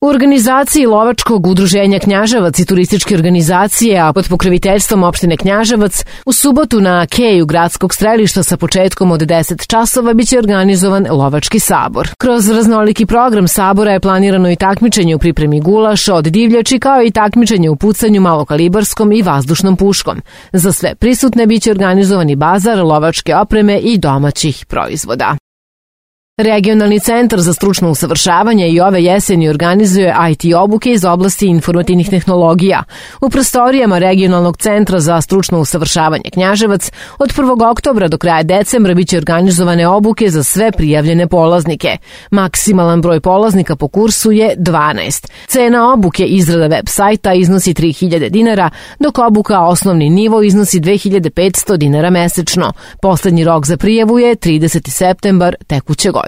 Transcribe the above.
U organizaciji Lovačkog udruženja Knjaževac i turističke organizacije, a pod pokroviteljstvom opštine Knjaževac, u subotu na keju gradskog strelišta sa početkom od 10 časova biće organizovan Lovački sabor. Kroz raznoliki program sabora je planirano i takmičenje u pripremi gulaša od divljači, kao i takmičenje u pucanju malokalibarskom i vazdušnom puškom. Za sve prisutne biće organizovani bazar lovačke opreme i domaćih proizvoda. Regionalni centar za stručno usavršavanje i ove jeseni organizuje IT obuke iz oblasti informativnih tehnologija. U prostorijama Regionalnog centra za stručno usavršavanje Knjaževac od 1. oktobra do kraja decembra biće organizovane obuke za sve prijavljene polaznike. Maksimalan broj polaznika po kursu je 12. Cena obuke izrada web sajta iznosi 3.000 dinara, dok obuka osnovni nivo iznosi 2.500 dinara mesečno. Poslednji rok za prijavu je 30. septembar tekuće godine.